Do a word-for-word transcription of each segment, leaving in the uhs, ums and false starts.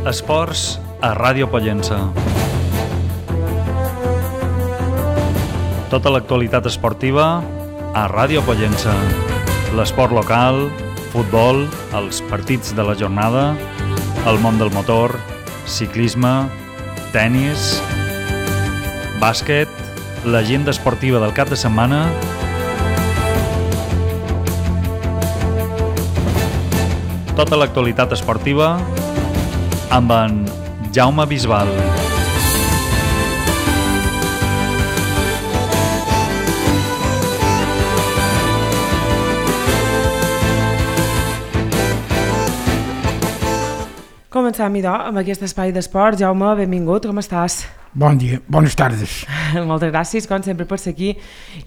Esports a Ràdio Pollença. Tota l'actualitat esportiva a Ràdio Pollença. L'esport local, futbol, els partits de la jornada, el món del motor, ciclisme, tennis, bàsquet, l'agenda esportiva del cap de setmana, tota l'actualitat esportiva amb en Jaume Bisbal. Comencem, idò, amb aquest espai d'esport. Jaume, benvingut, com estàs? Bon dia, bones tardes. Moltes gràcies, com sempre, per ser aquí.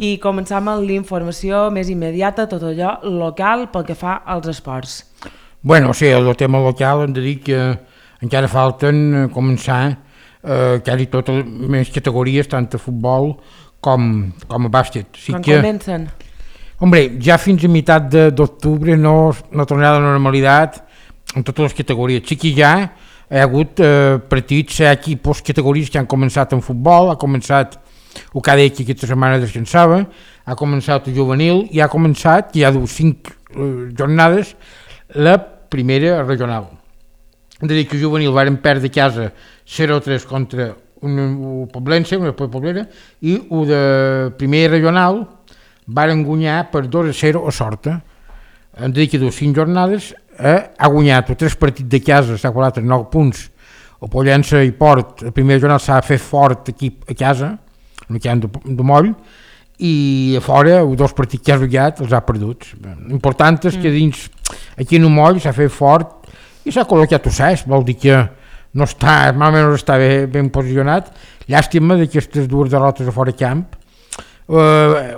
I comencem amb l'informació més immediata, tot allò local pel que fa als esports. Bueno, o sigui, el tema local hem de dir que encara falten començar eh, quasi totes les categories, tant a futbol com, com a bàsquet. O sigui Quan que, comencen? Hombre, ja fins a meitat d'octubre no, no tornarà a la normalitat en totes les categories. Sí que ja hi ha hagut eh, partits, hi ha equipos, categories que han començat en futbol, ha començat el K D que aquesta setmana descansava, ha començat el juvenil i ha començat, ja ha cinc eh, jornades, la primera regional. Hem de dir que el juvenil varen perdre a casa zero a tres contra un Poblense, una Poblera, i el de primera regional varen guanyar per dos a zero a Sorta. Hem de dir que dues cinc jornades eh, ha guanyat tres partits de casa, s'ha guanyat nou punts, o Pollença i Port, la primera jornada s'ha fet fort aquí a casa, no hi ha de, de moll, i a fora, els dos partits que ha jugat els ha perdut. L'important és que dins, aquí en un moll s'ha fet fort i s'ha col·locat Ossès, vol dir que no està, més o menys està bé, ben posicionat. Llàstima d'aquestes dues derrotes a fora camp. Eh,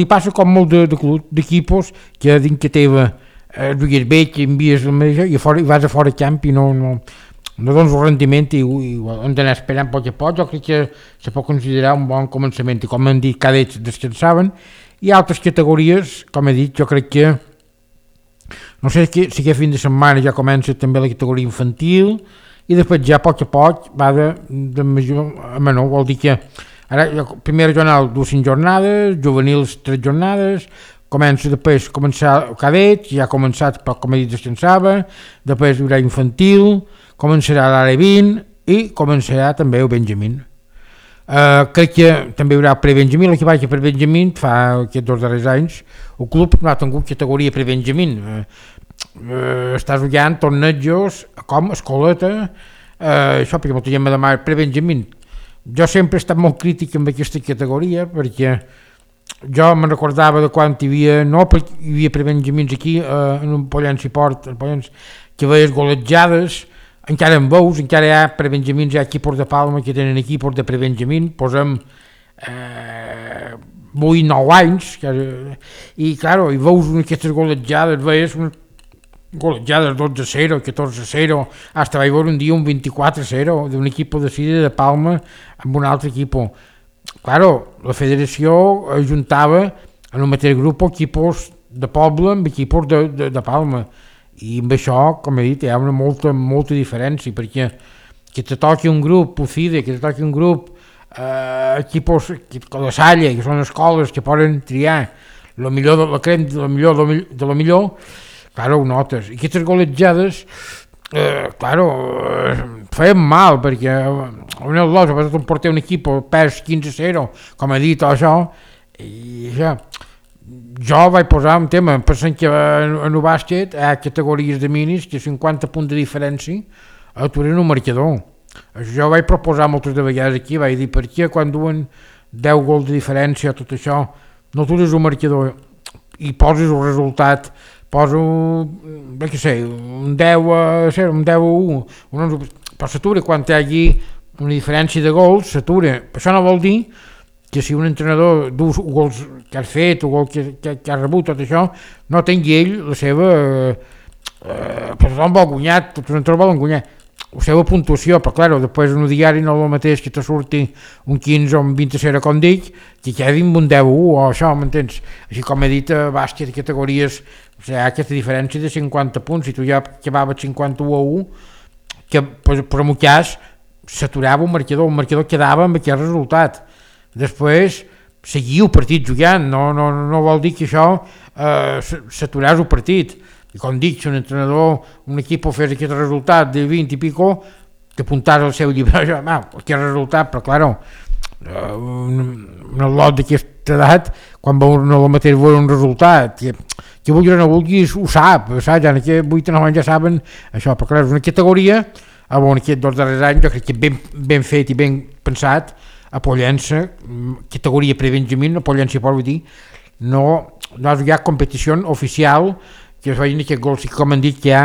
li passa com molt de, de club, d'equipos que dins que teva eh, jugues bé, que envies el mateix i, fora, i vas a fora camp i no, no, no dones el rendiment i, i hem d'anar esperant poc a poc. Jo crec que se pot considerar un bon començament i com hem dit, cadets descansaven i altres categories, com he dit, jo crec que no sé si aquest fin de setmana ja comença també la categoria infantil i després ja a poc a poc va de, de major a menor, vol dir que ara primera jornada dues cinc jornades, juvenils tres jornades, comença després començar el cadet, ja ha començat però com he dit descansava, després hi haurà infantil, començarà l'A vint i començarà també el Benjamín. Uh, crec que també hi haurà pre-Benjamín, l'equipatge que per Benjamín fa aquests dos darrers anys el club no ha tingut categoria pre-Benjamín, uh, uh, està jugant tornejos com escoleta, uh, això perquè molta gent me demana pre-Benjamín. Jo sempre he estat molt crític amb aquesta categoria perquè jo me'n recordava de quan hi havia, no perquè hi havia pre-Benjamins aquí uh, en un Pollença i Port, en Pollença, que veies golejades, encara en veus, encara hi ha pre-Benjamins, hi ha equipos de Palma que tenen equipos de pre-Benjamin, posem eh, vuit nou anys, que, i claro, i veus aquestes golejades, veies unes golejades dotze a zero, catorze a zero, hasta vaig veure un dia un vint-i-quatre a zero d'un equip de Sida de Palma amb un altre equip. Claro, la federació ajuntava en un mateix grup equipos de poble amb equipos de, de, de Palma. I amb això, com he dit, hi ha una molta, molta diferència, perquè que te toqui un grup, Pufide, que te toqui un grup, eh, equipos, que la Salle, que són escoles que poden triar el millor de la crem, de la millor de la millor, claro, ho notes. I aquestes golejades, eh, claro, eh, feien mal, perquè en el dos, a vegades portar un equip, pers quinze a zero, com he dit, això, i això. Jo vaig posar un tema, pensant que en el bàsquet hi ha categories de minis que cinquanta punts de diferència aturen un marcador. Jo vaig proposar moltes de vegades aquí, vaig dir per què quan duen deu gols de diferència tot això, no atures un marcador i poses el resultat, poso, bé que sé, un deu a zero, un deu a u, però s'atura quan hi hagi una diferència de gols, s'atura. Això no vol dir que si un entrenador du gols que has fet o gols que, que, que has rebut, tot això, no tingui ell la seva... Eh, per tothom vol guanyar, tots els entrenadors volen guanyar, la seva puntuació, però clar, després en un diari no és el mateix que te surti un quinze o un vint a zero, com dic, que quedi un deu a u o això, m'entens? Així com he dit, a bàsquet, categories, o sigui, hi ha aquesta diferència de cinquanta punts, si tu ja acabaves cinquanta-u a u, que per, per un cas s'aturava un marcador, un marcador quedava amb aquell resultat. Després seguiu el partit jugant, no, no, no vol dir que això eh, s'aturàs el partit. I com dic, si un entrenador, un equip fes aquest resultat de vint i pico, t'apuntàs al seu llibre, ja, ah, aquest resultat, però clar, un, un lot d'aquesta edat, quan veu no el mateix veure un resultat, que, que vulguis o no vulguis, ho sap, saps? Ja en aquests vuit o nou anys ja saben això, però clar, és una categoria, a on aquests dos darrers anys jo crec que ben, ben fet i ben pensat, a Pollença, categoria pre-Benjamín, a Pollença, vull dir, no, no hi ha competició oficial, que es vegin aquests gols, com han dit que hi ha,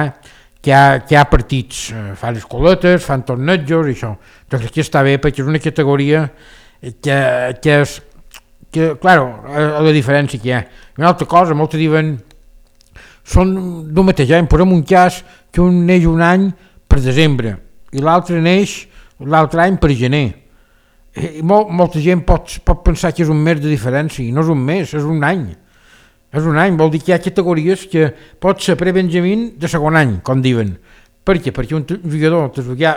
que hi ha, que hi ha partits, eh, fan escoletes, fan tornejos i això. Jo crec que està bé perquè és una categoria que, que és, que, claro, la diferència que hi ha. Una altra cosa, molts diuen, són d'un mateix any, posem un cas que un neix un any per desembre i l'altre neix l'altre any per gener. I molt, molta gent pot, pot pensar que és un mes de diferència, i no és un mes, és un any. És un any, vol dir que hi ha categories que pot ser pre-Benjamín de segon any, com diuen. Per què? Perquè un jugador ja,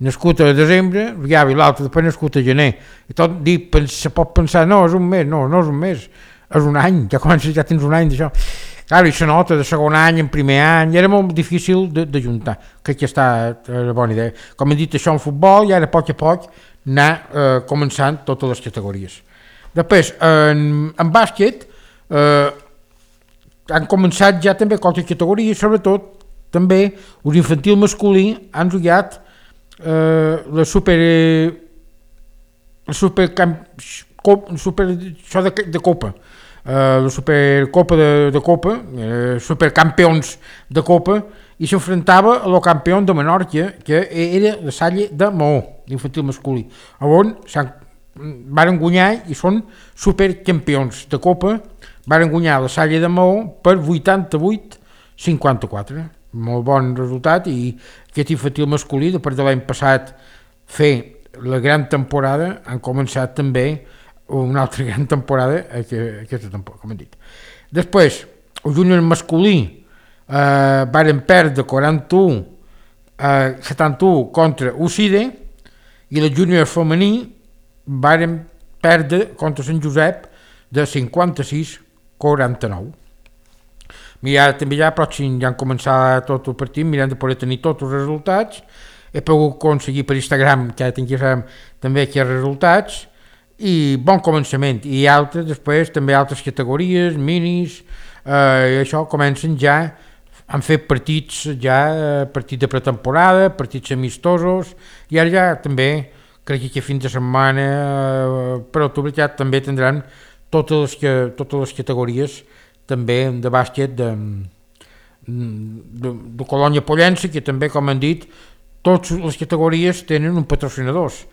nascut a desembre, ja, i l'altre després nascut a gener. I tot dir, se pot pensar, no, és un mes, no, no és un mes, és un any, ja comences, ja tens un any d'això. Clar, i se nota de segon any, en primer any, era molt difícil de, de juntar. Crec que està una bona idea. Com he dit, això en futbol, i ara a poc a poc anar eh, començant totes les categories. Després, en, en bàsquet, Uh, han començat ja també qualque categoria, sobretot també els infantil masculí han jugat uh, la super la super, cop, super això de, de copa uh, la supercopa de, de copa uh, supercampions de copa i s'enfrontava a lo campió de Menorca que era la Salle de Maó l'infantil masculí on s'han varen guanyar i són supercampions de copa. Varen guanyar la Salle de Maó per vuitanta-vuit a cinquanta-quatre. Molt bon resultat i aquest infantil masculí, després de l'any passat fer la gran temporada, han començat també una altra gran temporada aquesta temporada, com hem dit. Després, el júnior masculí eh, varen perdre quaranta-u a setanta-u contra Ucide i el júnior femení varen perdre contra Sant Josep de cinquanta-sis a quaranta-nou. Mira, també ja pròxim ja han començat tot el partit, mirant de poder tenir tots els resultats. He pogut aconseguir per Instagram que ja tinguéssim també aquests resultats i bon començament. I altres, després també altres categories, minis, eh, i això comencen ja, han fet partits ja, partits de pretemporada, partits amistosos, i ara ja també crec que fins de setmana eh, per octubre ja també tindran totes les, que, totes les categories també de bàsquet de, de, de Colònia Pollença, que també, com han dit, totes les categories tenen un patrocinadors.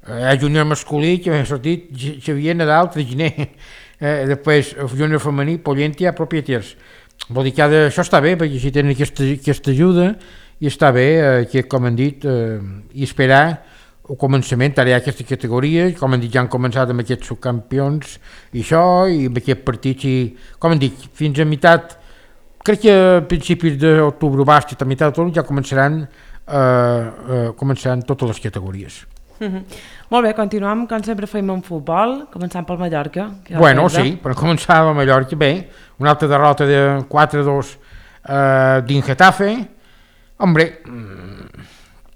Hi ha júnior masculí, que m'ha sortit Xavier Nadal, Traginer, eh, després júnior femení, Pollentia, Propieters. Vol dir que de, això està bé, perquè si tenen aquesta, aquesta ajuda, i està bé, eh, que, com han dit, eh, i esperar el començament, ara hi ha aquesta categoria, com han dit, ja han començat amb aquests subcampions i això, i amb aquests partits, i com han dit, fins a meitat, crec que a principis d'octubre, bàsquet, a meitat d'octubre, ja començaran, eh, eh, començaran totes les categories. Mm-hmm. Molt bé, continuem, com sempre fem en futbol, començant pel Mallorca. Bueno, sí, per començar el Mallorca, bé, una altra derrota de quatre a dos eh, dins Getafe, hombre,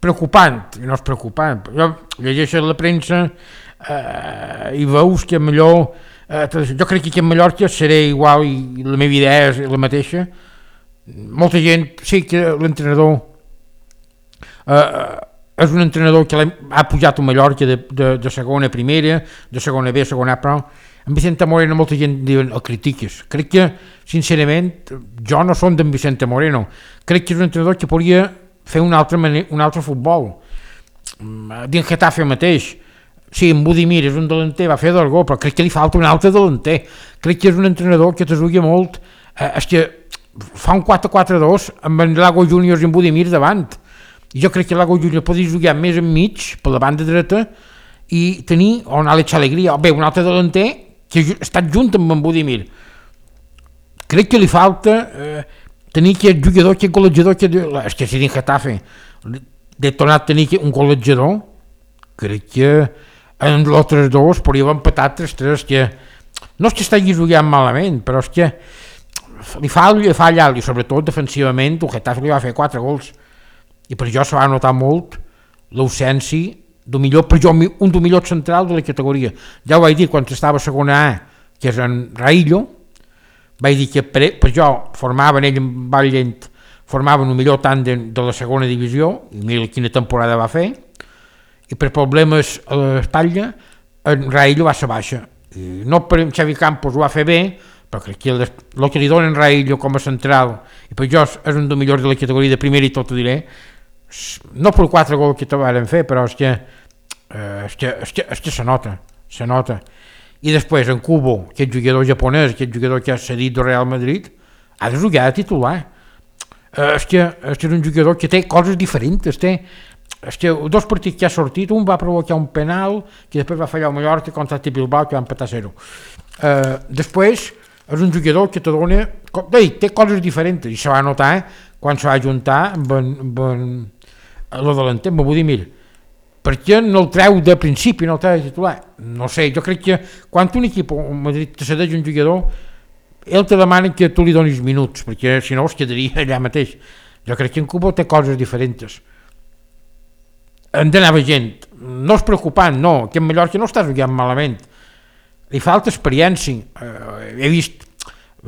preocupant, i no és preocupant, jo llegeixo la premsa eh, i veus que millor, eh, jo crec que en Mallorca seré igual i la meva idea és la mateixa. Molta gent, sí que l'entrenador eh, és un entrenador que ha pujat a Mallorca de, de, de segona a primera, de segona B a segona A, però en Vicente Moreno molta gent diuen el critiques. Crec que, sincerament, jo no som d'en Vicente Moreno, crec que és un entrenador que podria fer un altre, un altre futbol. Dins Getafe mateix, sí, en Budimir és un delanter, va fer dos gols, però crec que li falta un altre delanter. Crec que és un entrenador que t'ajuda molt, eh, és que fa un quatre quatre dos amb en Lago Juniors i en Budimir davant. I jo crec que Lago Juniors podria jugar més enmig, per la banda dreta, i tenir, o un Àlex Alegria, o bé, un altre delanter que ha estat junt amb en Budimir. Crec que li falta... Eh, tenir aquest jugador, aquest golejador, que és que si dins Getafe, de tornar a tenir un golejador, crec que en els altres dos podríem empatar tres tres, que no és que estigui jugant malament, però és que li fa, li fa allà, i sobretot defensivament, el Getafe li va fer quatre gols, i per això se va notar molt l'ausència del millor, per jo, un del millor central de la categoria. Ja ho vaig dir quan estava a segona A, que és en Raillo, vaig dir que per, per jo formaven ell amb Valllent, formaven el millor tàndem de la segona divisió, i mira quina temporada va fer, i per problemes a l'espatlla en Raillo va ser baixa. I no per Xavi Campos ho va fer bé, però crec que el, el que li donen Raillo com a central, i per jo és un dels millors de la categoria de primera, i tot ho diré, no per quatre gols que te van fer, però és que, eh, és, que, és, que, és que se nota, se nota. I després en Kubo, aquest jugador japonès, aquest jugador que ha cedit del Real Madrid, ha de jugar a titular. Eh, és, que, és que és un jugador que té coses diferents, té, és que dos partits que ha sortit, un va provocar un penal, que després va fallar el Mallorca contra el Bilbao, que va empatar a zero. Eh, després és un jugador que te dona, té coses diferents, i se va notar quan se va juntar amb en, amb en el delanter, m'ho vull dir, mira, per què no el treu de principi, no el treu de titular? No sé, jo crec que quan un equip a Madrid te cedeix un jugador, ell te demana que tu li donis minuts, perquè si no es quedaria allà mateix. Jo crec que en Cuba té coses diferents. Han d'anar gent, no és preocupant, no, que en Mallorca no està jugant malament, li falta experiència, eh, he vist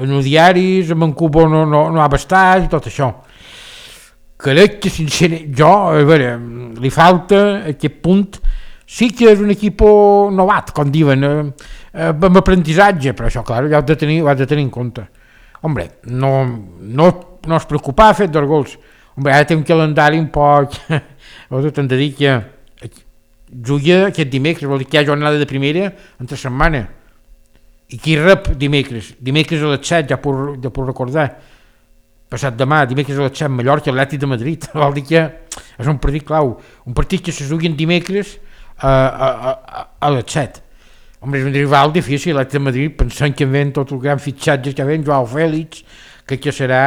en els diaris, en Cuba no, no, no ha bastat i tot això. Crec que sincerament, jo, a veure, li falta aquest punt, sí que és un equip novat, com diuen, eh, eh, amb aprenentatge, però això, clar, ja ho has de tenir, ho has de tenir en compte. Hombre, no, no, no es preocupar a fer dos gols. Hombre, ara té un calendari un poc... T'hem de dir que juga aquest dimecres, vol dir que hi ha jornada de primera entre setmana. I qui rep dimecres? Dimecres a les set, ja puc, ja puc recordar. Passat demà, dimecres a les set, Mallorca, Atlètic de Madrid. Vol dir que és un partit clau. Un partit que se jugui dimecres a, a, a, a les set. Home, és un rival difícil, l'Atlètic de Madrid, pensant que ven tot el gran fitxatge que ven, Joao Fèlix, crec que serà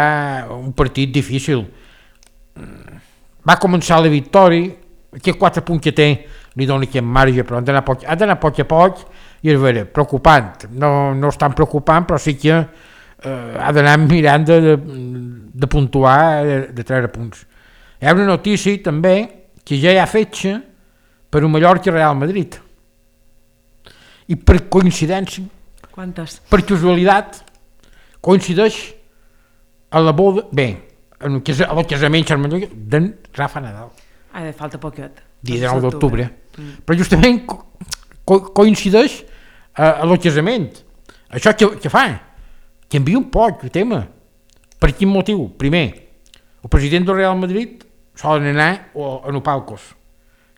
un partit difícil. Va començar la victòria, aquests quatre punts que té li dona aquest marge, però ha d'anar poc, ha d'anar poc a poc, i és vera, preocupant. No, no és tan preocupant, però sí que eh, ha d'anar mirant de, de, de puntuar, de, de treure punts. Hi ha una notícia també que ja hi ha fetge per un Mallorca Real Madrid. I per coincidència, quantes? Per casualitat, coincideix a la boda, bé, en el, cas, el casament d'en Rafa Nadal. Ah, falta poquet. Dia dinou d'octubre. Mm. Però justament co co coincideix a, a el casament. Això que, que fa? Canvia un poc el tema. Per quin motiu? Primer, el president del Real Madrid solen anar a no palcos.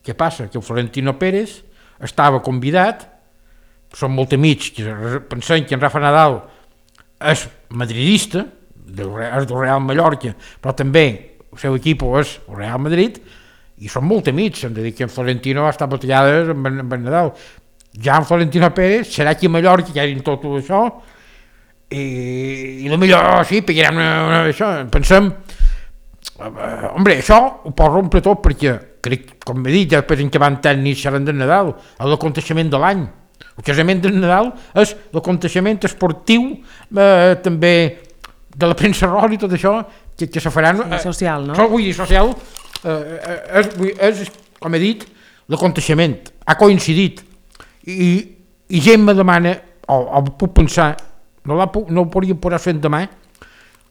Què passa? Que el Florentino Pérez estava convidat, són molt amics, que pensem que en Rafa Nadal és madridista, del, és del Real Mallorca, però també el seu equip és el Real Madrid, i són molt amics, hem de dir que en Florentino va estar batallades amb, amb en Nadal. Ja en Florentino Pérez serà aquí a Mallorca, que hagin tot això, i, i el millor, sí, pegarem una, una, això, pensem, eh, hombre, això ho pot rompre tot, perquè crec, com he dit, després en què van tècnics seran de Nadal, l'aconteixement de l'any. El casament de Nadal és l'aconteixement esportiu, eh, també de la premsa rosa i tot això, que, que se faran... Sí, social, no? Això, vull dir, social, eh, és, és, com he dit, l'aconteixement. Ha coincidit. I, i gent me demana, o, o puc pensar, no, la, no ho podria posar fent demà,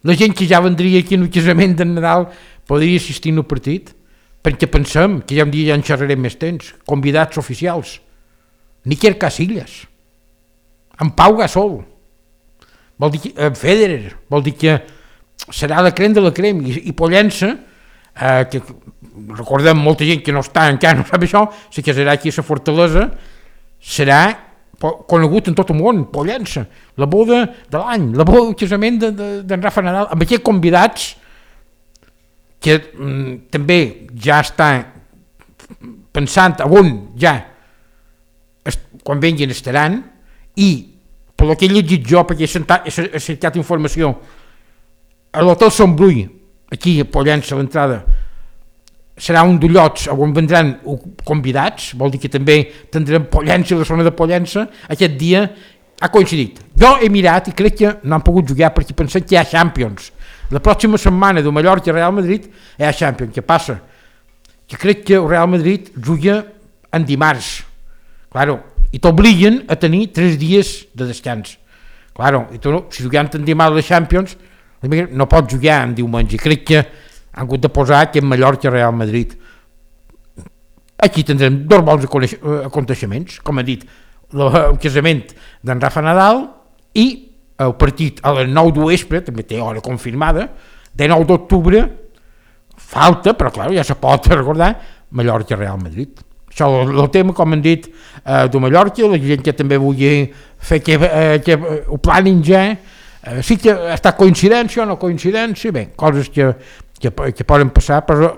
la gent que ja vendria aquí en el casament de Nadal podria assistir al partit, perquè pensem que ja un dia ja en xerrarem més temps, convidats oficials. Níker Casillas, en Pau Gasol, vol dir que, en Federer, vol dir que serà la crem de la crem, i, i Pollença, eh, que recordem molta gent que no està encara, no sap això, si que serà aquí a la Fortalesa, serà conegut en tot el món, Pollença, la boda de l'any, la boda del casament d'en de, de Rafa Nadal, amb aquests convidats que mm, també ja està pensant on ja quan venguin estaran, i per el que he llegit jo, perquè he, sentat, he cercat informació, a l'hotel Sant Brui, aquí a Pollença, a l'entrada, serà un d'ullots on vendran convidats, vol dir que també tindrem Pollença, la zona de Pollença, aquest dia ha coincidit. Jo he mirat i crec que no han pogut jugar perquè pensem que hi ha Champions. La pròxima setmana de Mallorca i Real Madrid hi ha Champions. Què passa? Que crec que el Real Madrid juga en dimarts. Claro, i t'obliguen a tenir tres dies de descans. Claro, i tu no, si juguem en dimarts la Champions, no pots jugar en diumenge. Crec que han hagut de posar que en Mallorca i Real Madrid. Aquí tindrem dos bons aconteixements, com he dit, el casament d'en Rafa Nadal i el partit a les nou de vespre, també té hora confirmada, de nou d'octubre, falta, però clar, ja se pot recordar, Mallorca i Real Madrid. Això és el tema, com hem dit, eh, de Mallorca, la gent que també vulgui fer que, eh, que ho planin ja, eh, sí que està coincidència o no coincidència, bé, coses que Que, que poden passar, però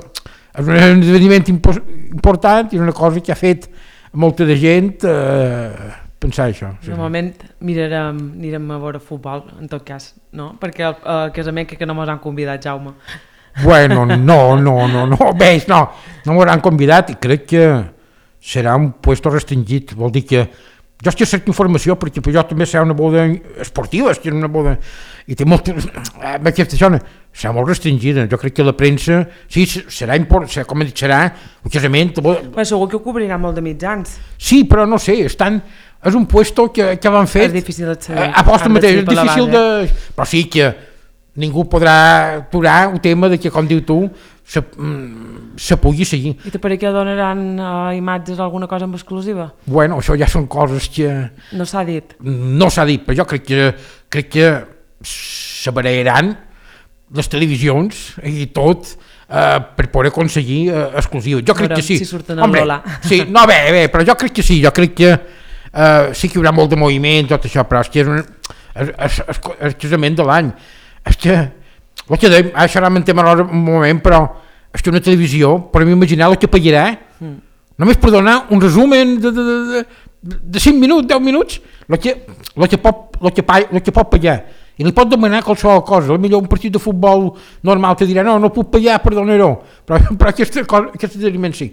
és un esdeveniment impo important i és una cosa que ha fet molta de gent eh, pensar això. Sí. Normalment mirarem, anirem a veure futbol, en tot cas, no? Perquè el, el casament que, que no mos han convidat, Jaume. Bueno, no, no, no, no, veig, no, no m'ho han convidat i crec que serà un puesto restringit, vol dir que jo és que cerco informació perquè jo també serà una boda esportiva, és que és una boda i té molt, aquesta zona serà molt restringida, jo crec que la premsa sí, serà important, serà, com he dit, serà un casament... Però segur que ho cobriran molt de mitjans. Sí, però no sé, estan, és un puesto que, que l'han fet... És difícil d'accedir. A posta mateix, és difícil de... Però sí que ningú podrà aturar el tema de que, com diu tu, se, se pugui seguir. I per què donaran uh, imatges o alguna cosa en exclusiva? Bueno, això ja són coses que... No s'ha dit. No s'ha dit, però jo crec que, crec que se barallaran les televisions i tot eh, per poder aconseguir eh, exclusius. Jo crec que sí. Si surten Hombre, sí, no, bé, bé, però jo crec que sí, jo crec que eh, sí que hi haurà molt de moviment, tot això, però és que és un, és, és, és, és casament de l'any. És que, el que dèiem, això ara mentem un moment, però és que una televisió, per m'imaginar el que pagarà, mm. només per donar un resumen de, de, de, de, de cinc minuts, deu minuts, el que, el que, pot, el que, el que pot pagar. I li pot demanar qualsevol cosa, potser un partit de futbol normal te dirà no, no puc pagar, perdonaró, però, però aquesta, aquesta esdeveniment sí.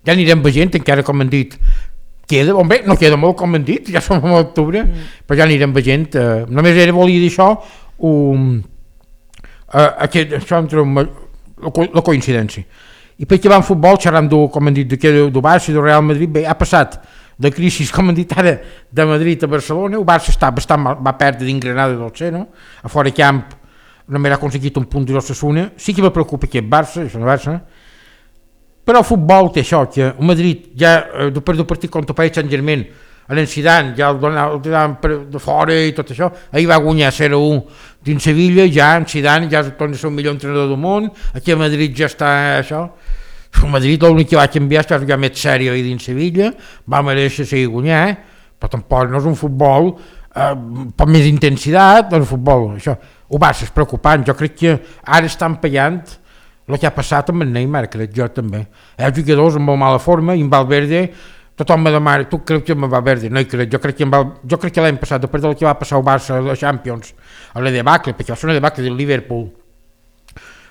Ja anirem veient, encara com han dit, queda, bé, no queda molt com han dit, ja som a l'octubre, mm. però ja anirem veient, eh, només era volia dir això, um, eh, aquest, això entre un, la, la coincidència. I perquè va en futbol, xerram de, com han dit, de, de Barça i de Real Madrid, bé, ha passat de crisi, com han dit ara, de Madrid a Barcelona, el Barça està bastant mal, va perdre d'Ingranada del Seno, a fora camp només ha aconseguit un punt de l'Osasuna, sí que me preocupa aquest Barça, això no Barça, però el futbol té això, que el Madrid ja, després del partit contra el Paris Saint-Germain, a l'Encidant, ja el donaven de fora i tot això, ahir va guanyar zero a u dins Sevilla, ja en Zidane ja torna a ser el millor entrenador del món, aquí a Madrid ja està això. El Madrid l'únic que va canviar és que va jugar més sèrio ahir dins Sevilla, va mereixer seguir guanyar, però tampoc no és un futbol eh, amb més intensitat, no és un futbol, això. El Barça és preocupant, jo crec que ara estan pagant el que ha passat amb el Neymar, crec jo també. Hi ha jugadors amb molt mala forma, i en Valverde, tothom me demana, tu creus que en Valverde? No hi crec, jo crec que, Val... jo crec que l'any passat, després del que va passar al Barça a la Champions, a la debacle, perquè va ser una debacle del Liverpool,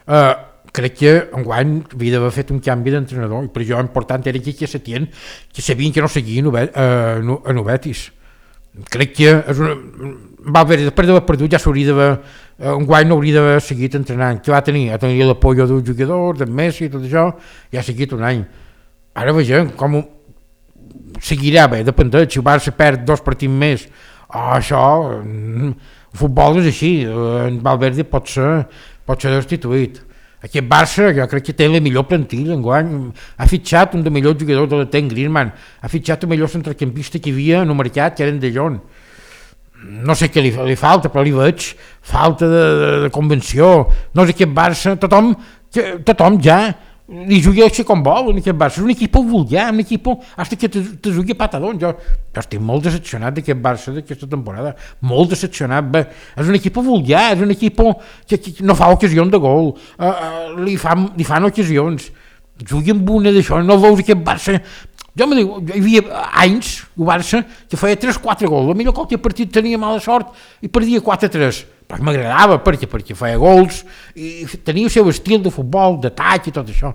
eh, crec que enguany havia d'haver fet un canvi d'entrenador, i per això important era que Setién, que sabien que no seguien a Novetis. Crec que és una... va haver, després d'haver perdut ja s'hauria d'haver, enguany no hauria d'haver seguit entrenant, que va tenir, va tenir l'apoyo d'un jugador, d'en Messi i tot això, ja ha seguit un any. Ara vegem com seguirà bé, dependent, si el Barça perd dos partits més, oh, això, el futbol és així, en Valverde pot ser, pot ser destituït. Aquest Barça, jo crec que té la millor plantilla enguany, ha fitxat un dels millors jugadors de la Ten Griezmann, ha fitxat el millor centrecampista que hi havia en el mercat, que era en De Jong. No sé què li, li falta, però li veig falta de, de, de convenció. No sé, aquest Barça, tothom, tothom ja li juga així com vol, en aquest Barça. És un equip vulgar, un equip hasta que te, te jugui patadón. Jo, jo estic molt decepcionat d'aquest Barça d'aquesta temporada, molt decepcionat. Bé, és un equip vulgar, és un equip que, que no fa ocasions de gol, uh, uh, li, fan, li fan ocasions. Jugui amb una d'això, no veus aquest Barça... Jo me diu, hi havia anys, el Barça, que feia tres quatre gols, potser qualque partit tenia mala sort i perdia quatre tres, però m'agradava perquè, perquè feia gols i tenia el seu estil de futbol, d'atac i tot això.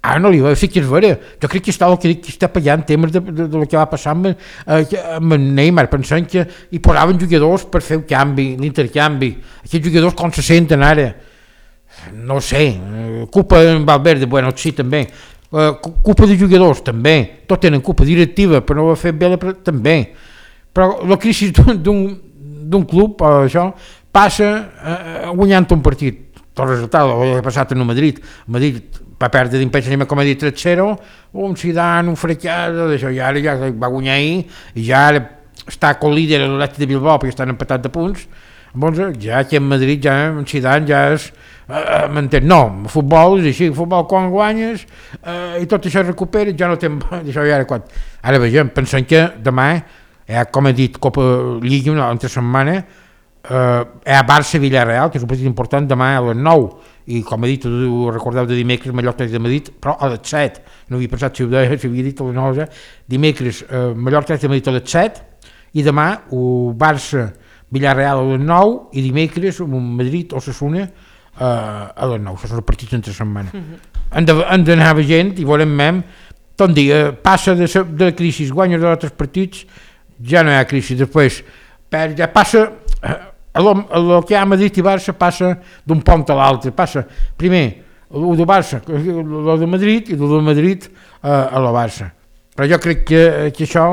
Ah, no li va, sí que és vera. Jo crec que està el que, que està pallant temes de, de, de lo que va passar amb, eh, amb en Neymar, pensant que hi posaven jugadors per fer el canvi, l'intercanvi. Aquests jugadors com se senten ara? No sé, culpa en Valverde, bueno, sí, també. Uh, culpa de jugadors, també. Tots tenen culpa directiva, però no ho ha fet bé, també. Però la crisi d'un club, o això, passa uh, guanyant un partit. Tot resultat, ho ha passat en el Madrid. El Madrid va perdre d'impensament, com ha dit, tres zero, un Zidane, un fracàs, d'això, i ara ja va guanyar ahir, i ja ara està co-líder a l'Atlètic de Bilbao, perquè estan empatats de punts. Llavors, ja aquí en Madrid, ja en Zidane ja és, eh, m'entén, no, el futbol és així, el futbol quan guanyes, eh, i tot això es recupera, ja no té, això ja era quan. Ara vegem, pensem que demà, eh, com he dit, Copa Lliga, una altra setmana, Uh, hi ha Barça-Villarreal, que és un partit important, demà a les nou, i com he dit, ho recordeu de dimecres, Mallorca de Madrid, però a les set, no havia pensat si ho deia, si havia dit a les nou, dimecres, uh, Mallorca de Madrid a les set, i demà uh, Barça-Villarreal a les nou, i dimecres Madrid o Osasuna uh, a les nou, això són els partits entre setmana. Mm-hmm. Han d'anar veient i veurem mem, tot dia, passa de, de la crisi, guanya d'altres partits, ja no hi ha crisi, després per, ja passa... Uh, el que hi ha a Madrid i Barça passa d'un pont a l'altre, passa primer el de Barça, el de Madrid, i el de Madrid eh, a la Barça. Però jo crec que, que això,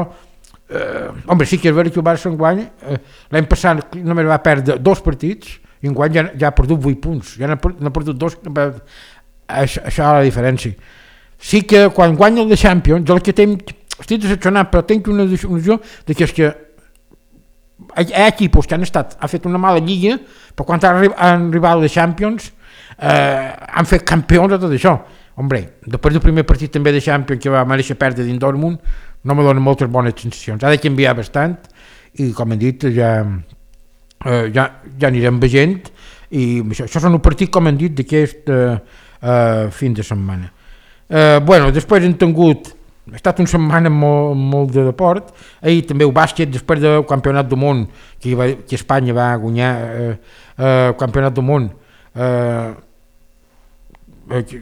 eh, home, sí que és vera que el Barça enguany, eh, l'any passat només va perdre dos partits, i enguany ja, ja ha perdut vuit punts, ja n'ha perdut dos, això, això és la diferència. Sí que quan guanya el de Champions, jo el que tenc, estic decepcionat, però tenc una decisió de que és que hi ha equipos que han estat, han fet una mala lliga, però quan han arribat a les Champions eh, han fet campions de tot això. Hombre, després del primer partit també de Champions que va mereixer perdre dins Dortmund, no me dona moltes bones sensacions. Ha de canviar bastant i, com hem dit, ja, eh, ja, ja anirem veient i això, això són un partit, com hem dit, d'aquest eh, eh, fin de setmana. Eh, bueno, després hem tingut ha estat una setmana molt, molt de deport. Ahir també el bàsquet, després del campionat del món que, va, que Espanya va guanyar eh, eh, el campionat del món eh, eh,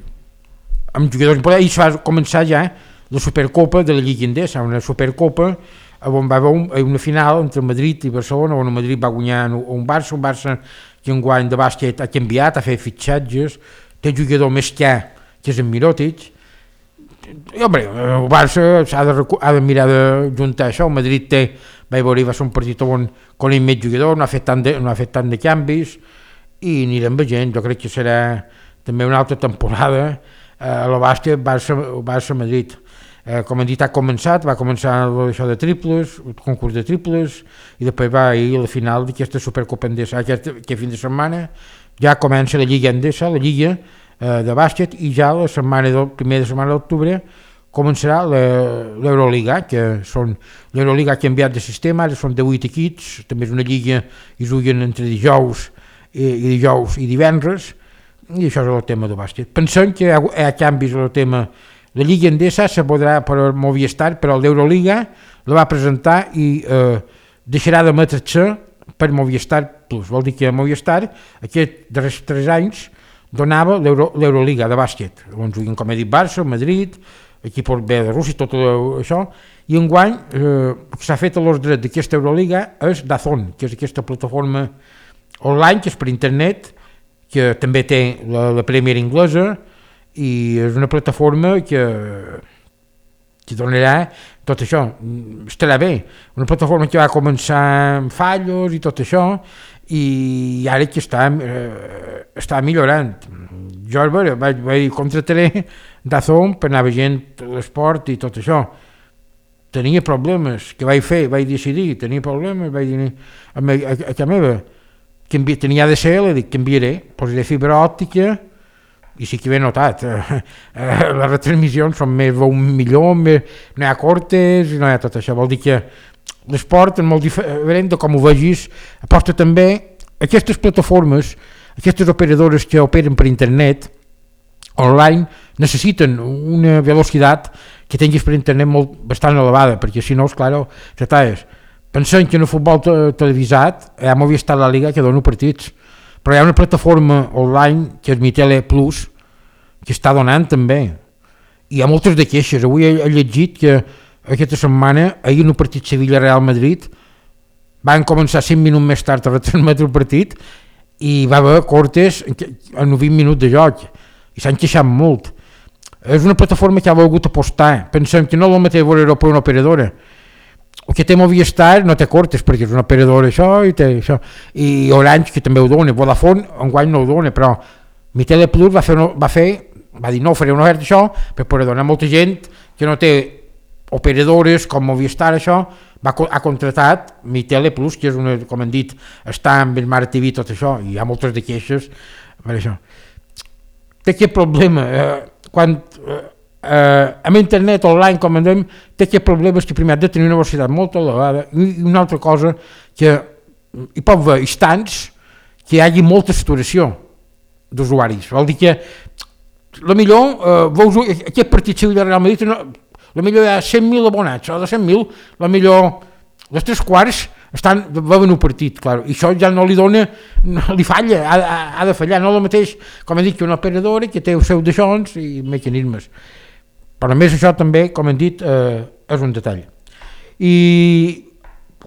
amb jugadors importants, ahir va començar ja la Supercopa de la Lliga Endesa, una Supercopa on va haver una final entre Madrid i Barcelona, on el Madrid va guanyar un Barça, un Barça que en guany de bàsquet ha canviat, ha fet fitxatges, té jugador més que que és en Mirotic. I, home, el Barça ha de, ha de mirar de juntar això. El Madrid té, vaig veure, va ser un partit on con ell més jugador, no ha fet tant de, no ha fet tant de canvis i anirem veient. Jo crec que serà també una altra temporada eh, a la bàsquet Barça, Barça-Madrid. Eh, com hem dit, ha començat, va començar això de triples, el concurs de triples, i després va ir a la final d'aquesta Supercopa Endesa. Aquest, aquest fin de setmana ja comença la Lliga Endesa, la Lliga de bàsquet, i ja la setmana del primer de setmana d'octubre començarà l'Euroliga, que són l'Euroliga ha canviat de sistema, ara són de vuit equips, també és una lliga i juguen entre dijous i, i dijous i divendres, i això és el tema del bàsquet. Pensem que hi ha, hi ha canvis en el tema. La Lliga Endesa se podrà per Movistar, però l'Euroliga la va presentar i eh, deixarà d'emetre-se per Movistar Plus. Vol dir que Movistar aquests darrers tres anys donava l'Euroliga de bàsquet, on juguen, com he dit, Barça, Madrid, equipos B de Rússia, tot això, i enguany eh, el que s'ha fet a l'ordre d'aquesta Euroliga és DAZN, que és aquesta plataforma online, que és per internet, que també té la, la Premier inglesa, i és una plataforma que, que donarà tot això, estarà bé, una plataforma que va començar amb fallos i tot això, i ara que està, eh, està millorant. Jo vaig, vaig contrataré DAZN per anar veient l'esport i tot això. Tenia problemes, que vaig fer, vaig decidir, tenia problemes, vaig dir a, a, a, a casa meva, canvi, tenia A D S L, dic, canviaré, posaré fibra òptica, i sí que ho he notat, eh, eh, les retransmissions són més, un millor, més, no hi ha cortes, no hi ha tot això, vol dir que l'esport és molt diferent de com ho vegis, aposta també aquestes plataformes, aquestes operadores que operen per internet online necessiten una velocitat que tinguis per internet molt, bastant elevada, perquè si no, esclar, s'atalles. Pensem que en el futbol te televisat hi ha Movistar la Liga que dona partits, però hi ha una plataforma online que és Mi Tele Plus que està donant també. hi ha moltes de queixes. Avui he, he llegit que aquesta setmana, ahir en el partit Sevilla-Real Madrid, van començar cinc minuts més tard a retransmetre el partit i va haver cortes en vint minuts de joc i s'han queixat molt. És una plataforma que ha volgut apostar. Pensem que no és el mateix veure-ho per una operadora. El que té Movistar no té cortes perquè és una operadora això i té això. I Orange que també ho dona, Vodafone enguany no ho dona, però Mi Teleplus va fer, va fer va dir no, faré una oferta això per poder donar molta gent que no té operadores com Movistar això, va, ha contratat Mi Teleplus, que és una, com han dit, està amb el Smart T V tot això, i hi ha moltes de queixes per això. Té aquest problema, eh, quan eh, eh, amb internet online, com en dèiem, té aquest problema que primer ha de tenir una velocitat molt elevada i una altra cosa que hi pot haver instants que hi hagi molta saturació d'usuaris, vol dir que la millor, eh, veus, aquest partit Sevilla Real Madrid, no, la millor hi ha cent mil abonats, o de cent mil, la millor, les tres quarts estan, veuen un partit, clar, i això ja no li dona, no, li falla, ha, ha, ha de fallar, no el mateix, com he dit, que una operadora que té els seus deixons i mecanismes. Però a més això també, com hem dit, eh, és un detall. I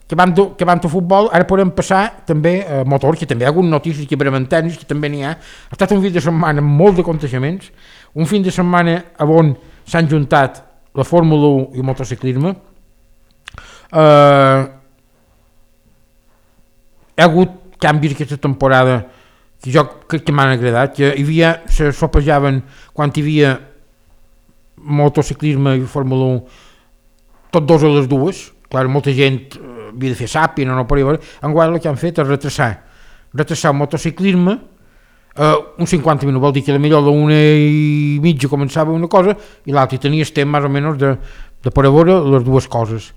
que vam, que vam de futbol, ara podem passar també a eh, motor, que també hi ha hagut notícies que bremen tenis, que també n'hi ha. Ha estat un fin de setmana amb molts de contagiaments, un fin de setmana on s'han juntat la Fórmula u i el motociclisme. Eh, hi ha hagut canvis aquesta temporada que jo crec que m'han agradat, que hi havia, se sopejaven quan hi havia motociclisme i Fórmula u tots dos a les dues, clar, molta gent havia de fer sàpia, no, no per veure, enguany el que han fet és retrasar, retrasar el motociclisme uh, uns cinquanta minuts, vol dir que potser a l'una i mitja començava una cosa i l'altra, i tenies temps més o menys de, de poder veure les dues coses.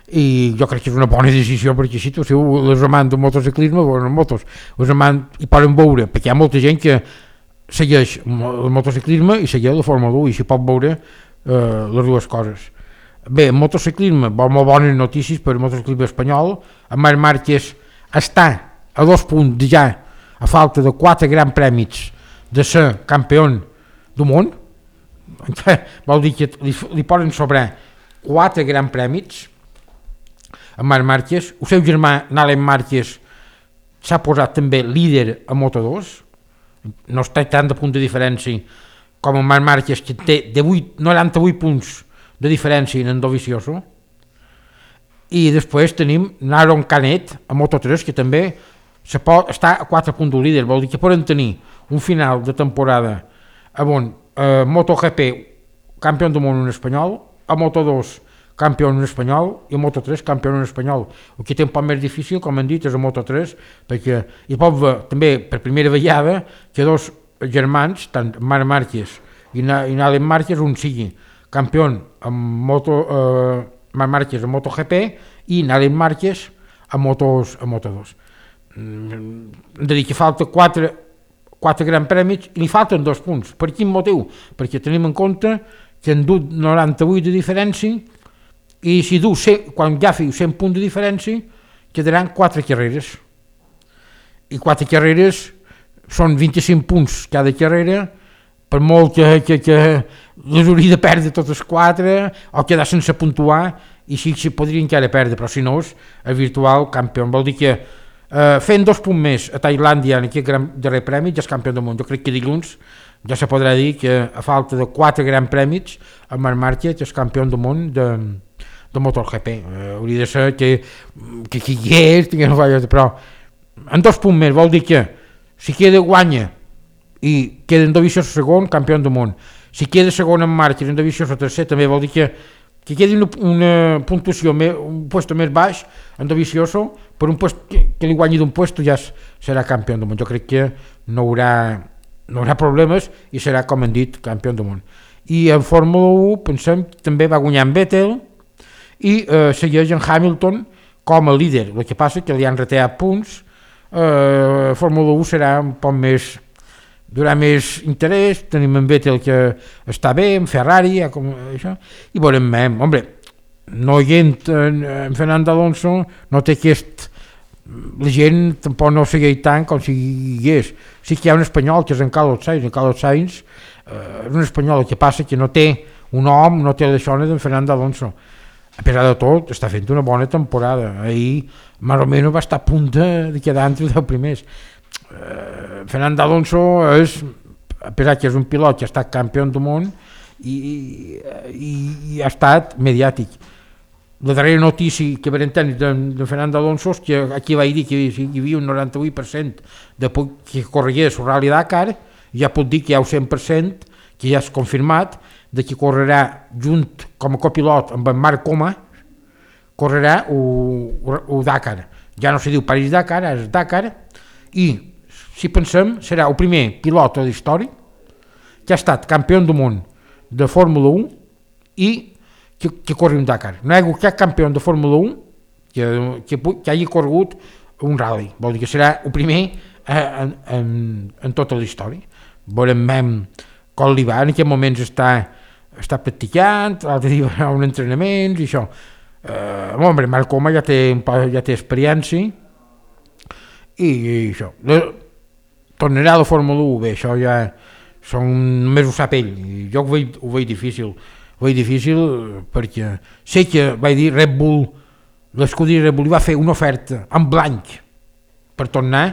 I jo crec que és una bona decisió perquè així si les amants del motociclisme veuen motos, les amants hi poden veure, perquè hi ha molta gent que segueix el motociclisme i segueix la Fórmula u i s'hi pot veure eh, les dues coses. Bé, el motociclisme, molt bones notícies per el motociclisme espanyol. En Marc Márquez està a dos punts ja a falta de quatre grans premis de ser campió del món. Vol dir que li, li poden sobrar quatre grans premis en Marc Márquez. El seu germà Nalen Márquez s'ha posat també líder a Moto dos, no està tant de punt de diferència com en Marc Márquez, que té noranta-vuit punts de diferència en Dovizioso. I després tenim Naron Canet a Moto tres, que també se pot, està a quatre punts del líder, vol dir que poden tenir un final de temporada on eh, MotoGP campió del món en espanyol, a Moto dos campió en espanyol i a Moto tres campió en espanyol. El que té un poc més difícil, com hem dit, és a Moto tres, perquè hi pot haver també per primera vegada que dos germans, tant Marc Márquez i Nalen Márquez, un sigui campió amb Moto, eh, Marc Márquez a MotoGP i Nalen Márquez a, motos, a Moto dos. Hem de dir que falta quatre, quatre grans premis i li falten dos punts. Per quin motiu? Perquè tenim en compte que han dut noranta-vuit de diferència i si du, quan ja feu cent punts de diferència, quedaran quatre carreres. I quatre carreres són vint-i-cinc punts cada carrera, per molt que, que, que les hauria de perdre totes quatre o quedar sense puntuar, i sí que podria encara perdre, però si no és el virtual campió. Vol dir que eh, fent dos punts més a Tailàndia en aquest gran darrer premi ja és campió del món. Jo crec que dilluns ja se podrà dir que a falta de quatre grans premis en Marc Márquez és campió del món de, de MotoGP. Eh, hauria de ser que que qui hi és, que no faci, però en dos punts més vol dir que si queda guanya i queda en Dovizioso segon, campió del món. Si queda segon en Márquez i en Dovizioso tercer, també vol dir que, que quedi una, una puntuació, més, un puesto més baix en Dovizioso, per un puesto que, que li guanyi d'un puesto ja serà campió del món. Jo crec que no haurà, no haurà problemes i serà, com hem dit, campió del món. I en Fórmula u, pensem, també va guanyar en Vettel i eh, segueix en Hamilton com a líder. El que passa que li han retallat punts. Eh, Fórmula u serà un poc més, durà més interès. Tenim en Vettel que està bé, en Ferrari, ja com això, i veurem més. Hombre, no hi entra en, en Fernando Alonso, no té aquest, la gent tampoc no segueix tant com si hi és. Sí que hi ha un espanyol que és en Carlos Sainz, en Carlos Sainz eh, és un espanyol, el que passa que no té un home no té d'això d'en Fernando Alonso. A pesar de tot, està fent una bona temporada. Ahir, més o menys, va estar a punt de quedar entre els primers. Uh, Fernando Alonso és, a pesar que és un pilot que ha estat campió del món i, i, i ha estat mediàtic. La darrera notícia que vam tenir de, de Fernando Alonso és que aquí vaig dir que hi havia un noranta-vuit per cent de que corregués el Rally Dakar, ja puc dir que hi ha un cent per cent que ja és confirmat de que correrà junt com a copilot amb en Marc Coma, correrà el Dakar. Ja no se diu París-Dakar, és Dakar, i si pensem serà el primer pilot de la història que ha estat campió del món de Fórmula un i que, que corri un Dakar. No hi ha hagut cap campió de Fórmula un que, que, que hagi corregut un rally, vol dir que serà el primer en, en, en tota la història. Veurem com li va, en aquest moments està, està practicant, l'altre dia va a un entrenament i això. Eh, home, Marc Coma ja té, ja té experiència i, i això. Tornarà a la Fórmula un, bé, això ja són, només ho sap ell, i jo ho veig, ho veig difícil, ho veig difícil perquè sé que vaig dir Red Bull, l'escuderia Red Bull va fer una oferta en blanc per tornar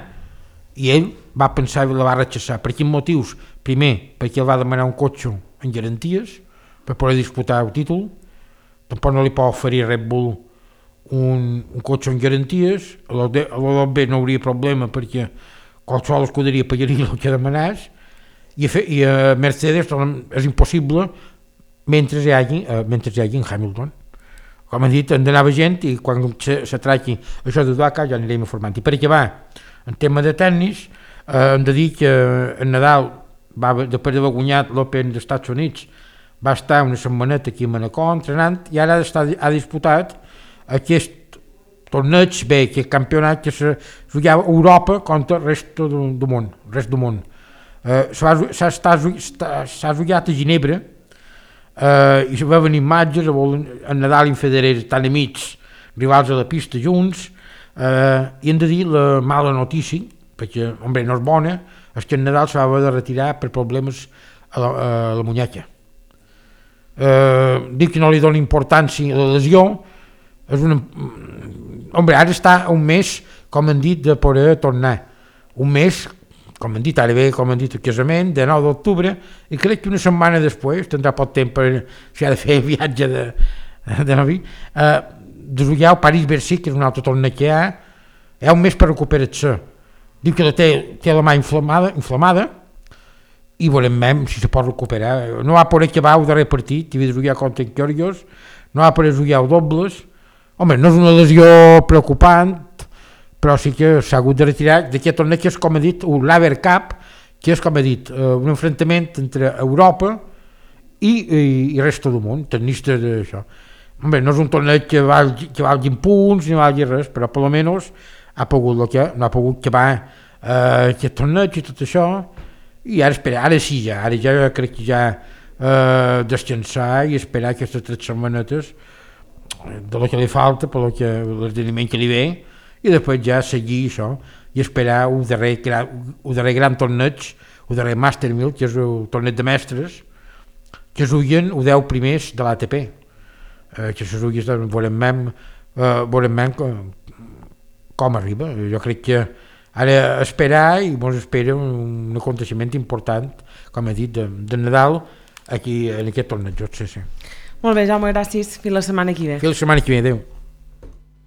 i ell va pensar i la va rechaçar. Per quins motius? Primer, perquè ell va demanar un cotxe en garanties per poder disputar el títol, tampoc no li pot oferir Red Bull un, un cotxe en garanties, a l'O B no hauria problema perquè qualsevol escuderia pagaria el que demanàs, i a, i a Mercedes és impossible mentre hi hagi, uh, mentre hi hagi en Hamilton. Com han dit, han d'anar gent i quan se, se tracti això de Dakar ja anirem informant. I per acabar, en tema de tennis, eh, hem de dir que en Nadal, va, després d'haver guanyat l'Open dels Estats Units, va estar una setmaneta aquí a Manacor entrenant i ara està, ha disputat aquest torneig, bé, aquest campionat que se jugava a Europa contra el rest del, del món. Rest del món. Eh, s'ha jugat a Ginebra eh, i se va venir imatges, en Nadal i en Federer estan amics, rivals a la pista junts, eh, i hem de dir la mala notícia, perquè, home, no és bona, és que en Nadal s'ha de retirar per problemes a la, a la muñeca. Eh, dic que no li dona importància a la lesió, és una... Home, ara està un mes, com han dit, de poder tornar. Un mes, com han dit, ara ve, com han dit, el casament, de nou d'octubre, i crec que una setmana després, tindrà poc temps per si ha de fer viatge de, de novi, eh, de jugar al París-Bercy, que és un altre torneig que hi ha, hi ha un mes per recuperar-se. Diu que la té, té la mà inflamada, inflamada i veurem si se pot recuperar. No va poder acabar el darrer partit, havia de jugar contra en Kyrgios, no va poder jugar el dobles. Home, no és una lesió preocupant, però sí que s'ha hagut de retirar d'aquest torneig que és, com ha dit, un Laver Cup, que és, com ha dit, un enfrontament entre Europa i, i, i resta del món, tennistes d'això. Home, no és un torneig que valgui, que valgui punts ni valgui res, però per almenys ha pogut el que no ha pogut acabar eh, aquest torneig i tot això, i ara espera, ara sí ja, ara ja crec que ja eh, descansar i esperar aquestes tres setmanetes de lo que li falta, per lo que l'esdeveniment que li ve, i després ja seguir això i esperar un darrer, un darrer gran torneig, un darrer Master mil, que és el torneig de mestres, que es juguen els deu primers de l'A T P, eh, que se juguen, veurem, eh, veurem com, com arriba. Jo crec que ara esperar i ens espera un aconteixement important, com he dit, de, de Nadal aquí en aquest torneig. Sí, sí. Molt bé, Jaume, gràcies. Fins la setmana que ve. Fins la setmana que ve, adéu.